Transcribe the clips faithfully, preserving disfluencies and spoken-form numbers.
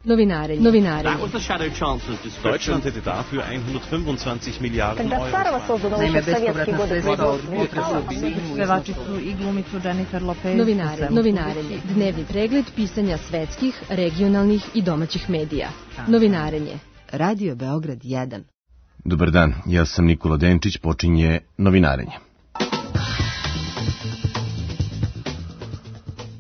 Novinarenje. Novinarenje. Deutschland hätte dafür hundertfünfundzwanzig Milliarden Euro. Naime, bespovratna sredstva od potresa Pevačicu i glumicu Jennifer Lopez. Novinarenje. Novinarenje. Dnevni pregled pisanja svetskih, regionalnih i domaćih medija. Novinarenje. Radio Beograd jedan. Dobar dan, ja sam Nikola Denčić, počinje Novinarenje.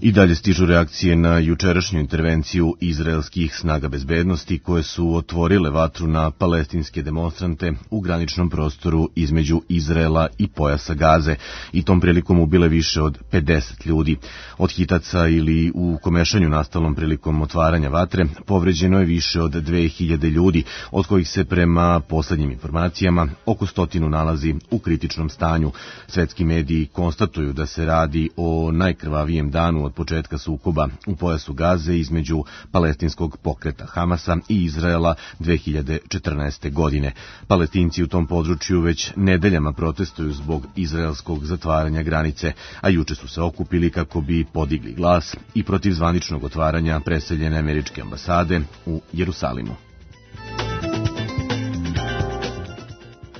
I dalje stižu reakcije na jučerašnju intervenciju izraelskih snaga bezbednosti koje su otvorile vatru na palestinske demonstrante u graničnom prostoru između Izraela i pojasa Gaze i tom prilikom ubile više od pedeset ljudi. Od hitaca ili u komešanju nastalom prilikom otvaranja vatre povređeno je više od dve hiljade ljudi, od kojih se prema poslednjim informacijama oko stotinu nalazi u kritičnom stanju. Svetski mediji konstatuju da se radi o najkrvavijem danu od početka sukoba u pojasu Gaze između palestinskog pokreta Hamasa i Izraela dve hiljade četrnaeste. godine. Palestinci u tom području već nedeljama protestuju zbog izraelskog zatvaranja granice, a juče su se okupili kako bi podigli glas i protiv zvaničnog otvaranja preseljene američke ambasade u Jerusalimu.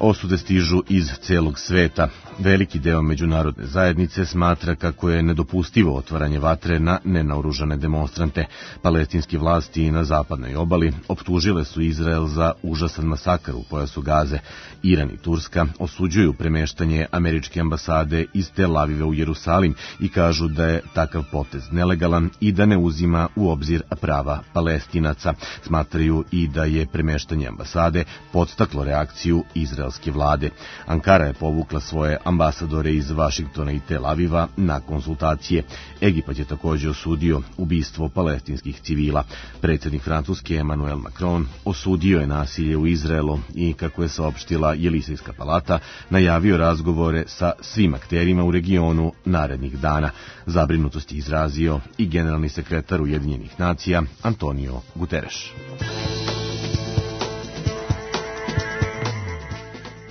Osude stižu iz celog sveta. Veliki deo međunarodne zajednice smatra kako je nedopustivo otvaranje vatre na nenaoružane demonstrante. Palestinske vlasti na zapadnoj obali optužile su Izrael za užasan masakar u pojasu Gaze. Iran i Turska osuđuju premeštanje američke ambasade iz Tel Aviva u Jerusalim i kažu da je takav potez nelegalan i da ne uzima u obzir prava Palestinaca. Smatraju i da je premeštanje ambasade podstaklo reakciju izraelske vlade. Ankara je povukla svoje ambasadore iz Vašingtona i Tel Aviva na konsultacije. Egipat je također osudio ubistvo palestinskih civila. Predsjednik Francuske Emmanuel Macron osudio je nasilje u Izraelu i, kako je saopštila Jelisejska palata, najavio razgovore sa svim akterima u regionu narednih dana. Zabrinutost je izrazio i generalni sekretar Ujedinjenih nacija Antonio Guterres.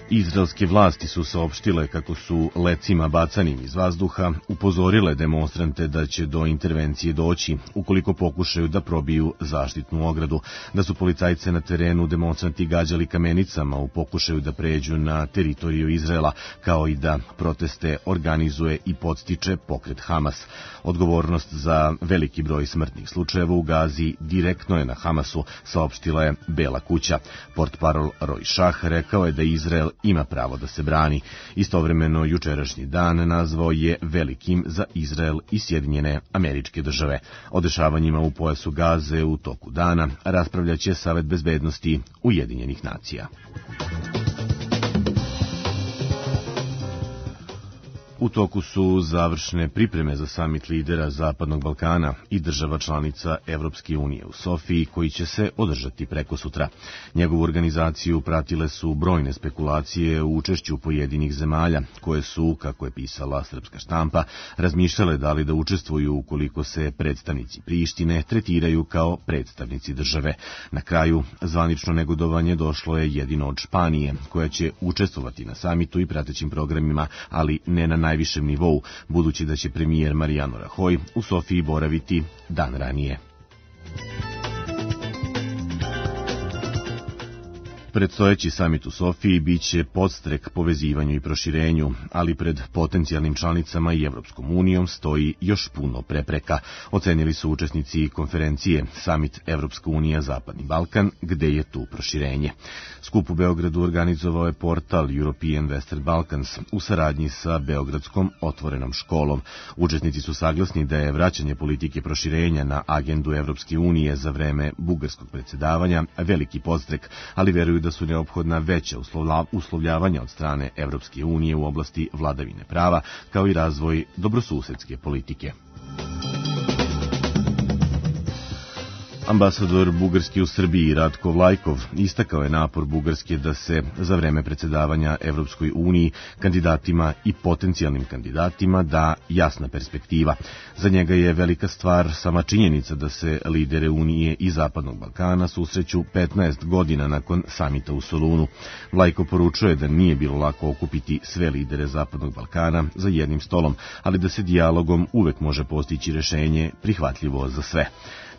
Izraelske vlasti su saopštile kako su lecima bacanim iz vazduha upozorile demonstrante da će do intervencije doći ukoliko pokušaju da probiju zaštitnu ogradu, da su policajce na terenu demonstranti gađali kamenicama u pokušaju da pređu na teritoriju Izraela, kao i da proteste organizuje i podstiče pokret Hamas. Odgovornost za veliki broj smrtnih slučajeva u Gazi direktno je na Hamasu, saopštila je Bela kuća. Portparol Roy Shah rekao je da Izrael ima pravo da se brani. Istovremeno, jučerašnji dan nazvao je velikim za Izrael i Sjedinjene Američke Države. O dešavanjima u pojasu Gaze u toku dana raspravljaće Savet bezbednosti Ujedinjenih nacija. U toku su završne pripreme za samit lidera Zapadnog Balkana i država članica Evropske unije u Sofiji, koji će se održati prekosutra. Njegovu organizaciju pratile su brojne spekulacije u učešću pojedinih zemalja, koje su, kako je pisala srpska štampa, razmišljale da li da učestvuju ukoliko se predstavnici Prištine tretiraju kao predstavnici države. Na kraju, zvanično negodovanje došlo je jedino od Španije, koja će učestvovati na samitu i pratećim programima, ali ne na najvišem nivou, budući da će premijer Mariano Rajoy u Sofiji boraviti dan ranije. Predstojeći samit u Sofiji biće podstrek povezivanju i proširenju, ali pred potencijalnim članicama i Evropskom unijom stoji još puno prepreka, ocenili su učesnici konferencije Samit Evropska unija Zapadni Balkan, gde je tu proširenje. Skup u Beogradu organizovao je portal European Western Balkans u saradnji sa Beogradskom otvorenom školom. Učesnici su saglasni da je vraćanje politike proširenja na agendu Evropske unije za vreme bugarskog predsjedavanja veliki podstrek, ali veruju da su neophodna veća uslovljavanja od strane Evropske unije u oblasti vladavine prava, kao i razvoj dobrosusedske politike. Ambasador Bugarske u Srbiji Ratko Vlajkov istakao je napor Bugarske da se za vreme predsjedavanja Evropskoj uniji kandidatima i potencijalnim kandidatima da jasna perspektiva. Za njega je velika stvar sama činjenica da se lidere Unije i Zapadnog Balkana susreću petnaest godina nakon samita u Solunu. Vlajkov poručuje da nije bilo lako okupiti sve lidere Zapadnog Balkana za jednim stolom, ali da se dijalogom uvek može postići rešenje prihvatljivo za sve.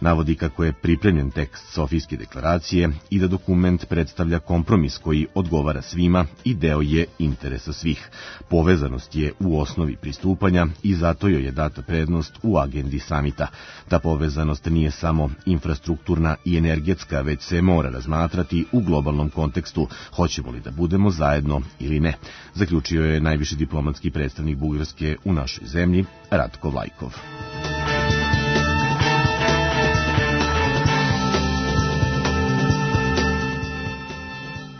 Navodi kako je pripremljen tekst Sofijske deklaracije i da dokument predstavlja kompromis koji odgovara svima i deo je interesa svih. Povezanost je u osnovi pristupanja i zato joj je data prednost u agendi samita. Ta povezanost nije samo infrastrukturna i energetska, već se mora razmatrati u globalnom kontekstu, hoćemo li da budemo zajedno ili ne, zaključio je najviši diplomatski predstavnik Bugarske u našoj zemlji, Ratko Vlajkov.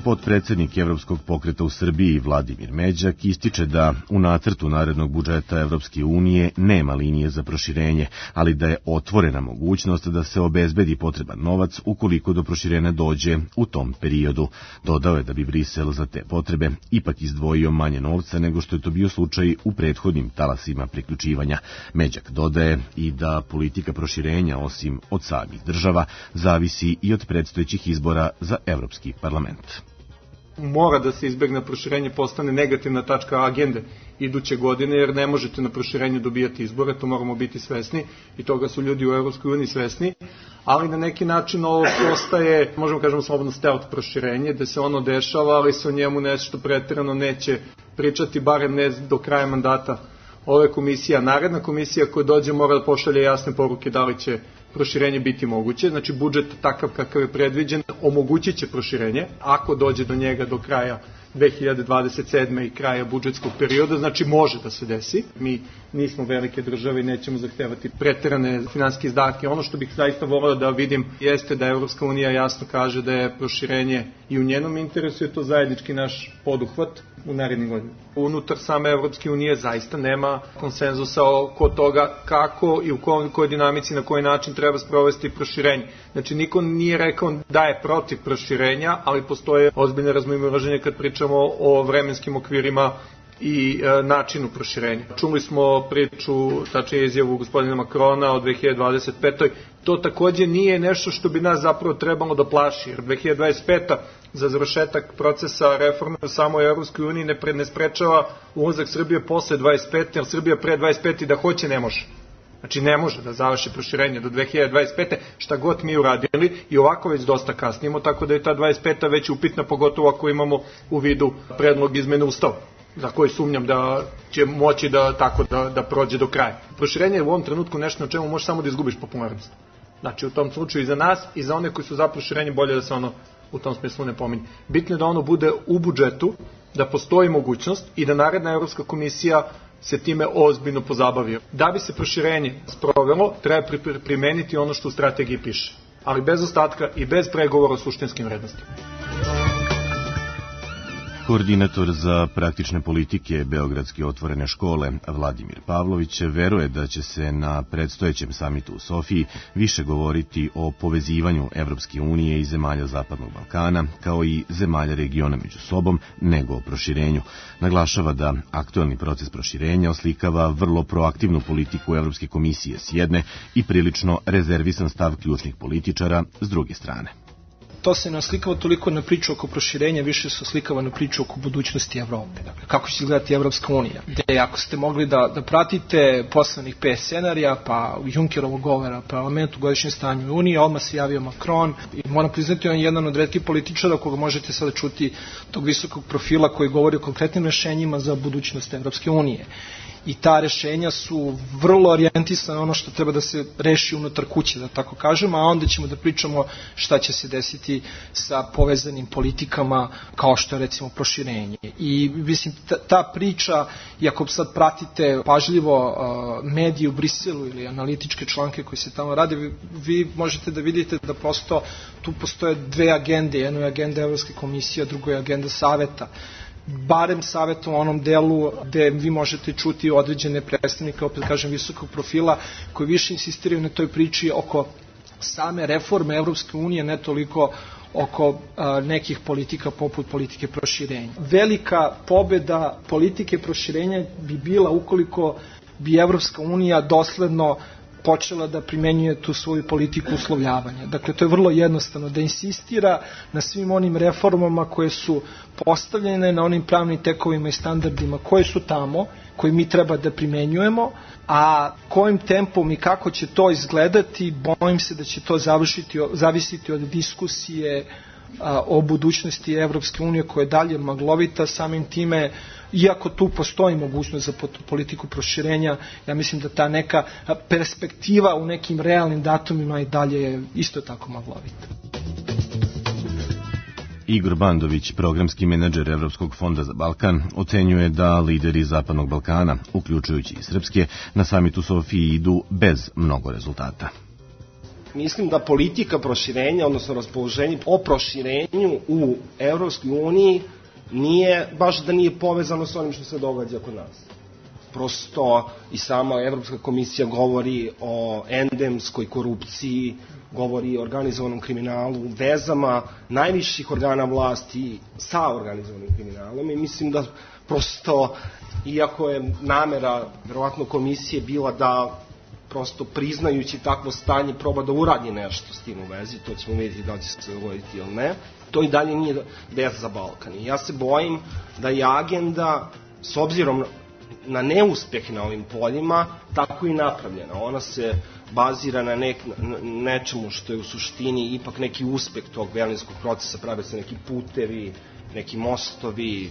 Potpredsednik Evropskog pokreta u Srbiji Vladimir Međak ističe da u nacrtu narednog budžeta Evropske unije nema linije za proširenje, ali da je otvorena mogućnost da se obezbedi potreban novac ukoliko do proširenja dođe u tom periodu. Dodao je da bi Brisel za te potrebe ipak izdvojio manje novca nego što je to bio slučaj u prethodnim talasima priključivanja. Međak dodaje i da politika proširenja, osim od samih država, zavisi i od predstojećih izbora za Evropski parlament. Mora da se izbegne proširenje, postane negativna tačka agende iduće godine, jer ne možete na proširenju dobijati izbore, to moramo biti svesni i toga su ljudi u Evropskoj uniji svesni, ali na neki način ovo postaje, možemo kažemo slobodno stealth proširenje, da se ono dešava, ali se o njemu nešto preterano neće pričati, barem ne do kraja mandata ove komisije. Naredna komisija koja dođe mora da pošalje jasne poruke da li će proširenje biti moguće, znači budžet takav kakav je predviđen omogućit će proširenje, ako dođe do njega do kraja dve hiljade dvadeset sedme i kraja budžetskog perioda, znači može da se desi. Mi nismo velike države i nećemo zahtevati preterane finansijske izdatke. Ono što bih zaista voleo da vidim jeste da Evropska unija jasno kaže da je proširenje i u njenom interesu, je to zajednički naš poduhvat u narednim godinama. Unutar same Evropske unije zaista nema konsenzusa oko toga kako i u kojoj dinamici, na koji način treba sprovesti proširenje. Znači, niko nije rekao da je protiv proširenja, ali postoje ozbiljne razmimoilaženja kad pričamo o vremenskim okvirima i e, načinu proširenja. Čuli smo priču, tačnije izjavu gospodina Makrona o dve hiljade dvadeset petoj. To takođe nije nešto što bi nas zapravo trebalo da plaši, jer dve hiljade dvadeset peta za završetak procesa reforme u samoj Evropskoj uniji ne, pre, ne sprečava ulazak Srbije posle dvadeset pete, jer Srbija pre dvadeset pete da hoće ne može. Znači ne može da završi proširenje do dve hiljade dvadeset pete šta god mi uradili i ovako već dosta kasnimo, tako da je ta dvadeset peta već upitna, pogotovo ako imamo u vidu predlog izmene Ustava, za koji sumnjam da će moći da tako da, da prođe do kraja. Proširenje je u ovom trenutku nešto na čemu možeš samo da izgubiš popularnost. Znači u tom slučaju i za nas i za one koji su za proširenje bolje da se ono u tom smislu ne pominje. Bitno je da ono bude u budžetu, da postoji mogućnost i da naredna Evropska komisija se time ozbiljno pozabavio. Da bi se proširenje sprovelo, treba primeniti ono što u strategiji piše, ali bez ostatka i bez pregovora o suštinskim vrednostima. Koordinator za praktične politike Beogradske otvorene škole Vladimir Pavlović veruje da će se na predstojećem samitu u Sofiji više govoriti o povezivanju Evropske unije i zemalja Zapadnog Balkana, kao i zemalja regiona među sobom, nego o proširenju. Naglašava da aktuelni proces proširenja oslikava vrlo proaktivnu politiku Evropske komisije s jedne i prilično rezervisan stav ključnih političara s druge strane. To se ne oslikava toliko na priču oko proširenja, više se oslikava na priču oko budućnosti Evrope. Dakle, kako će izgledati Evropska unija? Gde ako ste mogli da, da pratite poslednjih pet scenarija, pa Junckerovog govora parlamentu, godišnjem stanju Unije, odmah se javio Macron i moram priznati, on je jedan od retkih političara koga možete sada čuti tog visokog profila koji govori o konkretnim rešenjima za budućnost Evropske unije. I ta rešenja su vrlo orijentisana ono što treba da se reši unutar kuće, da tako kažem, a onda ćemo da pričamo šta će se desiti sa povezanim politikama kao što je recimo proširenje. I mislim, ta, ta priča, i ako sad pratite pažljivo uh, medije u Briselu ili analitičke članke koji se tamo rade, vi, vi možete da vidite da prosto tu postoje dve agende, jedno je agenda Evropske komisije, a drugo je agenda Saveta. Barem savjet u onom delu gde vi možete čuti određene predstavnike, opet kažem, visokog profila, koji više insistiraju na toj priči oko same reforme Evropske unije, ne toliko oko a, nekih politika poput politike proširenja. Velika pobeda politike proširenja bi bila ukoliko bi Evropska unija dosledno počela da primenjuje tu svoju politiku uslovljavanja. Dakle, to je vrlo jednostavno, da insistira na svim onim reformama koje su postavljene, na onim pravnim tekovima i standardima koje su tamo, koje mi treba da primenjujemo, a kojim tempom i kako će to izgledati, bojim se da će to završiti, zavisiti od diskusije a, o budućnosti Evropske unije koja je dalje maglovita. Samim time, iako tu postoji mogućnost za politiku proširenja, ja mislim da ta neka perspektiva u nekim realnim datumima i dalje je isto tako maglovita. Igor Bandović, programski menadžer Evropskog fonda za Balkan, ocenjuje da lideri Zapadnog Balkana, uključujući i srpske, na samitu Sofiji idu bez mnogo rezultata. Mislim da politika proširenja, odnosno raspoloženje o proširenju u Evropskoj uniji nije, baš da nije povezano s onim što se događa kod nas. Prosto i sama Evropska komisija govori o endemskoj korupciji, govori o organizovanom kriminalu, vezama najviših organa vlasti sa organizovanim kriminalom i mislim da prosto, iako je namera verovatno komisije bila da prosto priznajući takvo stanje proba da uradi nešto s tim u vezi, to ćemo vidjeti da će se dogoditi ili ne, to i dalje nije vez za Balkan. I ja se bojim da je agenda, s obzirom na neuspeh na ovim poljima, tako i napravljena. Ona se bazira na, nek, na nečemu što je u suštini ipak neki uspeh tog berlinskog procesa, prave se neki putevi, neki mostovi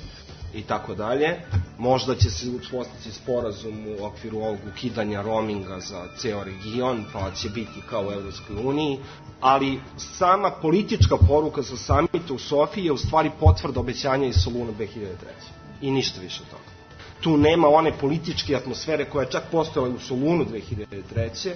i tako dalje. Možda će se uspostaviti sporazum u okviru ovog ukidanja roaminga za ceo region, pa će biti kao u Evropskoj uniji, ali sama politička poruka za samita u Sofiji je u stvari potvrda obećanja iz Soluna dve hiljade treće. I ništa više od toga. Tu nema one političke atmosfere koja je čak postojala u Solunu dve hiljade treće,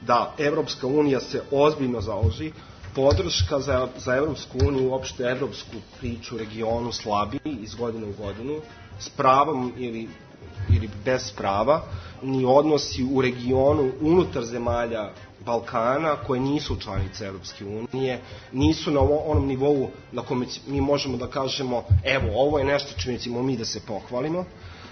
da Evropska unija se ozbiljno založi, podrška za, za Evropsku uniju, uopšte evropsku priču u regionu slabi iz godine u godinu, s pravom ili, ili bez prava, ni odnosi u regionu unutar zemalja Balkana koje nisu članice Evropske unije, nisu na onom nivou na kome mi možemo da kažemo evo, ovo je nešto čime ćemo mi da se pohvalimo.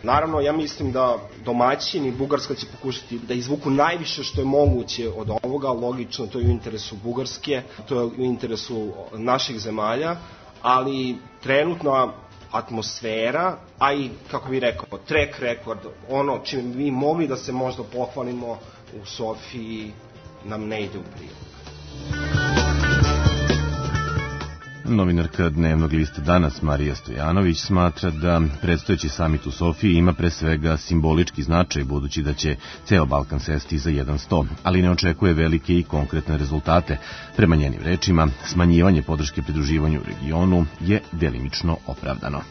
Naravno, ja mislim da domaćini, Bugarska će pokušati da izvuku najviše što je moguće od ovoga, logično, to je u interesu Bugarske, to je u interesu naših zemalja, ali trenutna atmosfera, a i, kako bih rekao, track record, ono čime bi mogli da se možda pohvalimo u Sofiji, nam ne ide u prilog. Novinarka dnevnog lista Danas Marija Stojanović smatra da predstojeći samit u Sofiji ima pre svega simbolički značaj, budući da će ceo Balkan sesti za jedan sto, ali ne očekuje velike i konkretne rezultate. Prema njenim rečima, smanjivanje podrške pridruživanju u regionu je delimično opravdano.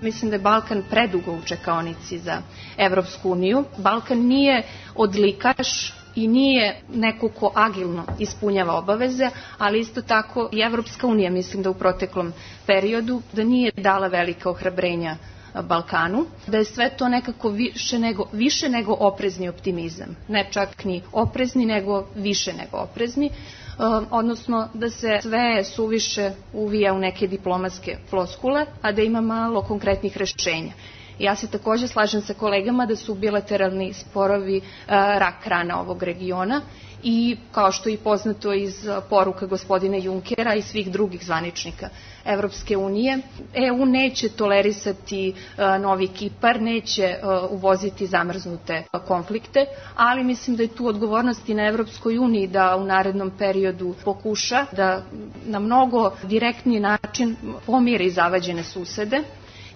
Mislim da je Balkan predugo u čekaonici za Evropsku uniju. Balkan nije odlikaš i nije neko ko agilno ispunjava obaveze, ali isto tako i Evropska unija, mislim da u proteklom periodu, da nije dala velika ohrabrenja Balkanu, da je sve to nekako više nego, više nego oprezni optimizam. Ne čak ni oprezni, nego više nego oprezni, odnosno da se sve suviše uvija u neke diplomatske floskule, a da ima malo konkretnih rešenja. Ja se takođe slažem sa kolegama da su bilateralni sporovi rak rana ovog regiona i kao što je i poznato iz poruka gospodina Junkera i svih drugih zvaničnika Evropske unije, E U neće tolerisati novi Kipar, neće uvoziti zamrznute konflikte, ali mislim da je tu odgovornost i na Evropskoj uniji da u narednom periodu pokuša da na mnogo direktniji način pomiri zavađene susede.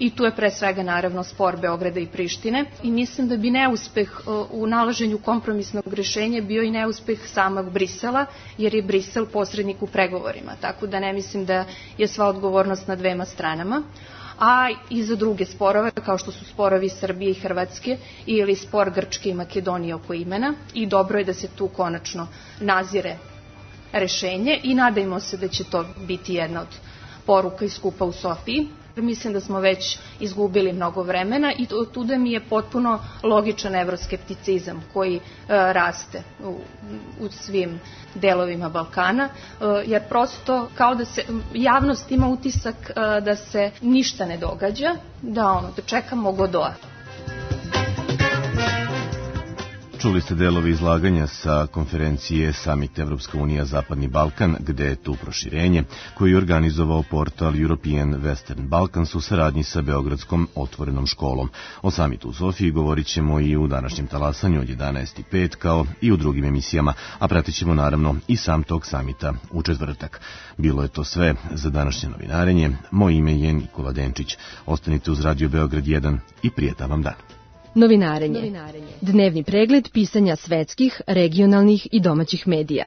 I tu je pre svega naravno spor Beograda i Prištine i mislim da bi neuspeh u nalaženju kompromisnog rešenja bio i neuspeh samog Brisela, jer je Brisel posrednik u pregovorima, tako da ne mislim da je sva odgovornost na dvema stranama. A i za druge sporove, kao što su sporovi Srbije i Hrvatske ili spor Grčke i Makedonije oko imena, i dobro je da se tu konačno nazire rešenje i nadajmo se da će to biti jedna od poruka iz skupa u Sofiji. Mislim da smo već izgubili mnogo vremena i tuda mi je potpuno logičan evroskepticizam koji e, raste u, u svim delovima Balkana, e, jer prosto kao da se javnost ima utisak e, da se ništa ne događa, da ono, da čekamo Godoa. Čuli ste delove izlaganja sa konferencije Summit Evropska unija Zapadni Balkan, gde je tu proširenje, koji je organizovao portal European Western Balkans u saradnji sa Beogradskom otvorenom školom. O samitu u Sofiji govorit ćemo i u današnjem talasanju od jedanaest i pet kao i u drugim emisijama, a pratit ćemo naravno i sam tog samita u četvrtak. Bilo je to sve za današnje novinarenje. Moje ime je Nikola Denčić. Ostanite uz Radio Beograd jedan i prijetan vam dan. Novinarenje. Dnevni pregled pisanja svetskih, regionalnih i domaćih medija.